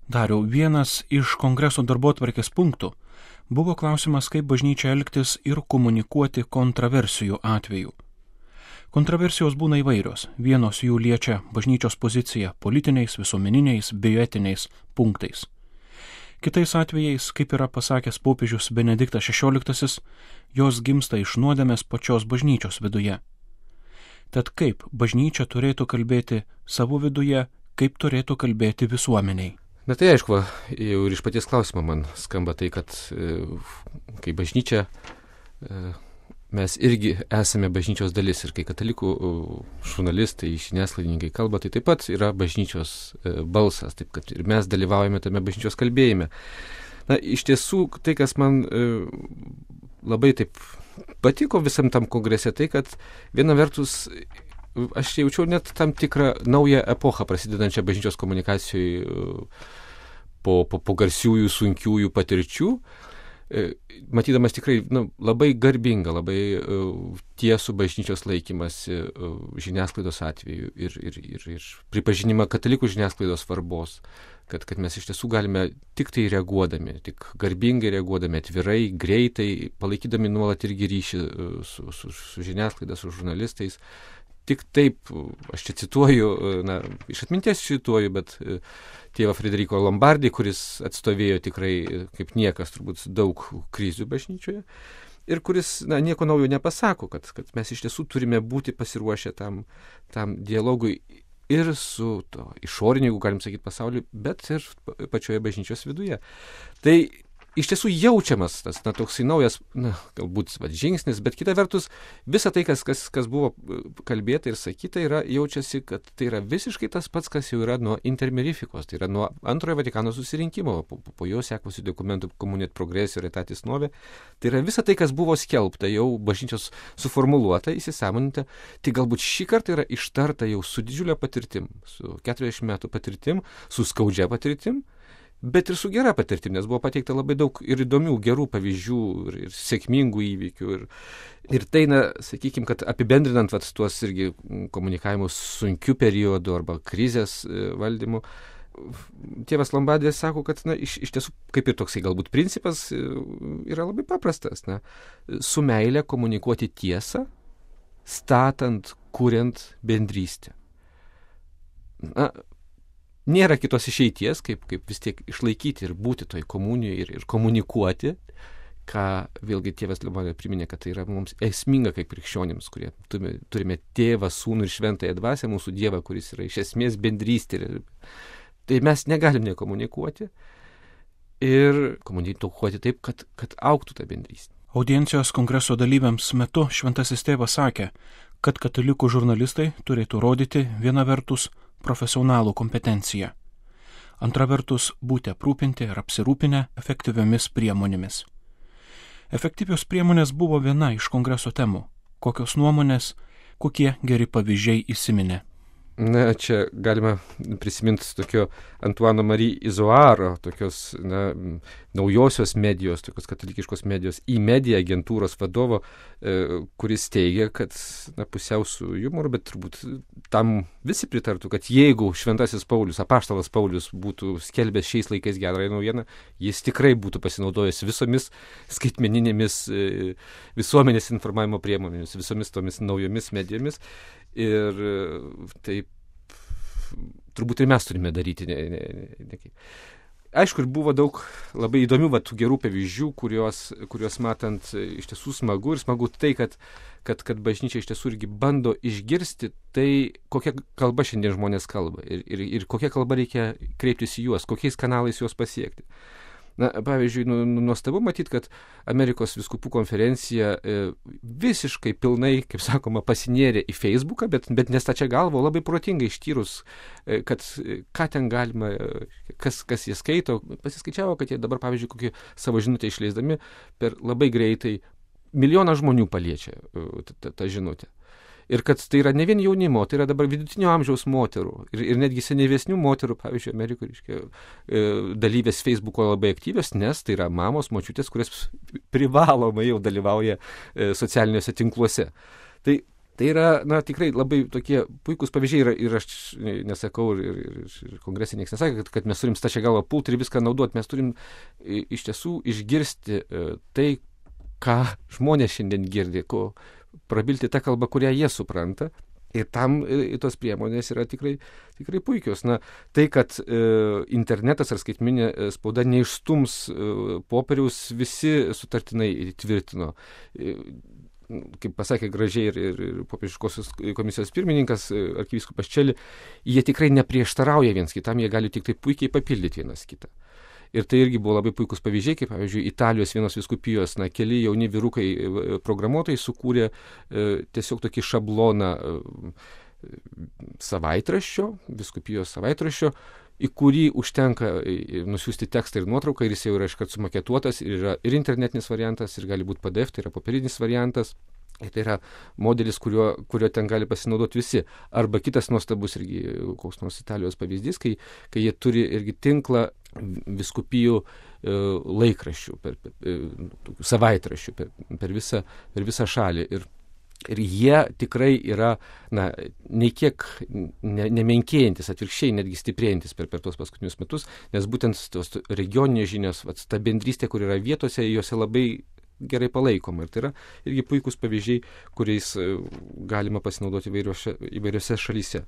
Dariau, vienas iš kongreso darbotvarkės punktų buvo klausimas, kaip bažnyčia elgtis ir komunikuoti kontroversijų atveju. Kontroversijos būna įvairios, vienos jų liečia bažnyčios poziciją politiniais, visuomeniniais, bioetiniais punktais. Kitais atvejais, kaip yra pasakęs popiežius Benediktas XVI, jos gimsta iš nuodėmės pačios bažnyčios viduje. Tad kaip bažnyčia turėtų kalbėti savo viduje, kaip turėtų kalbėti visuomeniai? Na tai aišku, jau ir iš paties klausimo man skamba tai, kad kai bažnyčia, mes irgi esame bažnyčios dalis ir kai katalikų žurnalistai, žiniasklaidininkai kalba, tai taip pat yra bažnyčios balsas, taip kad ir mes dalyvaujame tame bažnyčios kalbėjime. Na, iš tiesų, tai, kas man labai taip patiko visam tam kongrese, tai, kad viena vertus aš jaučiau net tam tikrą naują epochą prasidedančią bažnyčios komunikacijai po garsiųjų, sunkiųjų patirčių, matydamas tikrai labai garbingą, labai tiesų bažnyčios laikymasi žiniasklaidos atveju ir pripažinimą katalikų žiniasklaidos svarbos, kad mes iš tiesų galime tik tai reaguodami, tik garbingai reaguodami, atvirai, greitai, palaikydami nuolat irgi ryšį su žiniasklaida, su žurnalistais. Tik taip, aš čia cituoju, iš atminties cituoju, bet tėvą Frederico Lombardi, kuris atstovėjo tikrai kaip niekas turbūt daug krizių bažnyčioje ir kuris nieko naujo nepasako, kad mes iš tiesų turime būti pasiruošę tam dialogui ir su to išoriniu, jeigu galim sakyti, pasauliu, bet ir pačioje bažnyčios viduje. Tai iš tiesų jaučiamas tas toksai naujas, galbūt žingsnis, bet kita vertus, visa tai, kas buvo kalbėta ir sakyta, jaučiasi, kad tai yra visiškai tas pats, kas jau yra nuo intermerifikos, tai yra nuo antrojo Vatikano susirinkimo, po jo sekusių dokumentų Communio et Progressio ir Aetatis Novae, tai yra visa tai, kas buvo skelbta, jau bažnyčios suformuluota, įsisąmoninta, tai galbūt šį kartą yra ištarta jau su didžiulė patirtim, su 40 metų patirtim, su skaudžia patirtim, bet ir su gera patirtim, nes buvo pateikta labai daug ir įdomių, gerų pavyzdžių ir sėkmingų įvykių. Ir tai, sakykime, kad apibendrinant tuos irgi komunikavimus sunkių periodų arba krizės valdymų, tėvas Lombardis sako, kad iš tiesų, kaip ir toksai galbūt principas, yra labai paprastas. Su meile komunikuoti tiesą, statant, kuriant bendrystę. Nėra kitos išeities, kaip vis tiek išlaikyti ir būti toj komunijoje ir komunikuoti, ką vėlgi tėvas Lombardas priminė, kad tai yra mums esminga kaip krikščionims, kurie turime tėvą, sūnų ir šventąją dvasią, mūsų Dievą, kuris yra iš esmės bendrystė. Tai mes negalim nekomunikuoti ir komunikuoti taip, kad augtų ta bendrystė. Audiencijos kongreso dalyviams metu šventasis tėvas sakė, kad katalikų žurnalistai turėtų rodyti viena vertus profesionalų kompetenciją. Antra vertus, būti aprūpinti ir apsirūpinę efektyviomis priemonėmis. Efektyvios priemonės buvo viena iš kongreso temų. Kokios nuomonės, kokie geri pavyzdžiai įsiminė? Čia galima prisiminti tokio Antuano Marie Izoaro, tokios naujosios medijos, tokios katalikiškos medijos e-media agentūros vadovo, kuris teigia, kad pusiau su jumoru, bet turbūt tam visi pritartų, kad jeigu šventasis Paulius, apaštalas Paulius būtų skelbęs šiais laikais gerąją naujieną, jis tikrai būtų pasinaudojęs visomis skaitmeninėmis visuomenės informavimo priemonėmis, visomis tomis naujomis medijomis. Ir taip turbūt ir mes turime daryti. Aišku, ir buvo daug labai įdomių tų gerų pavyzdžių, kuriuos matant iš tiesų smagu tai, kad bažnyčia iš tiesų irgi bando išgirsti tai, kokia kalba šiandien žmonės kalba ir kokia kalba reikia kreiptis į juos, kokiais kanalais juos pasiekti. Pavyzdžiui, nuostabu matyti, kad Amerikos vyskupų konferencija visiškai pilnai, kaip sakoma, pasinėrė į Facebooką, bet nestačia galva, labai protingai ištyrus, kad ką ten galima, kas jie skaito, pasiskaičiavo, kad jie dabar, pavyzdžiui, kokį savo žinutę išleisdami per labai greitai 1 milijoną žmonių paliečia tą žinutę. Ir kad tai yra ne vien jaunimo, tai yra dabar vidutinio amžiaus moterų ir netgi senyvesnių moterų, pavyzdžiui, Amerikoje, dalyvės Facebooko labai aktyvios, nes tai yra mamos, močiutės, kurios privalomai jau dalyvauja socialiniuose tinkluose. Tai Tai yra, tikrai labai tokie puikūs pavyzdžiai ir aš nesakau, ir kongresai niekas nesakė, kad mes turim stačią galvą pulti ir viską naudoti, mes turim iš tiesų išgirsti tai, ką žmonės šiandien girdi, prabilti tą kalbą, kurią jie supranta. Ir tam tos priemonės yra tikrai puikios. Tai, kad internetas ar skaitmeninė spauda neišstums popieriaus, visi sutartinai tvirtino. Kaip pasakė gražiai ir popiežiškosios komisijos pirmininkas arkivyskupas Čeli, jie tikrai neprieštarauja viens kitam, jie gali tik tai puikiai papildyti vienas kitą. Ir tai irgi buvo labai puikus pavyzdžiai, kaip pavyzdžiui Italijos vienos vyskupijos, keli jauni vyrukai programuotojai sukūrė tiesiog tokį šabloną savaitraščio, vyskupijos savaitraščio, į kurį užtenka nusiųsti tekstą ir nuotrauką, ir jis jau yra iškart sumaketuotas, ir yra ir internetinis variantas, ir gali būti PDF, tai yra popierinis variantas. Ir tai yra modelis, kurio ten gali pasinaudoti visi. Arba kitas nuostabus irgi koks nors Italijos pavyzdys, kai jie turi irgi tinklą vyskupijų laikraščių, savaitraščių per visą šalį. Ir jie tikrai yra, nei kiek nemenkėjantis, atvirkščiai netgi stiprėjantis per tuos paskutinius metus, nes būtent tos regioninės žinios, ta bendrystė, kur yra vietose, juose labai gerai palaikoma. Ir tai yra irgi puikūs pavyzdžiai, kuriais galima pasinaudoti įvairiose šalyse.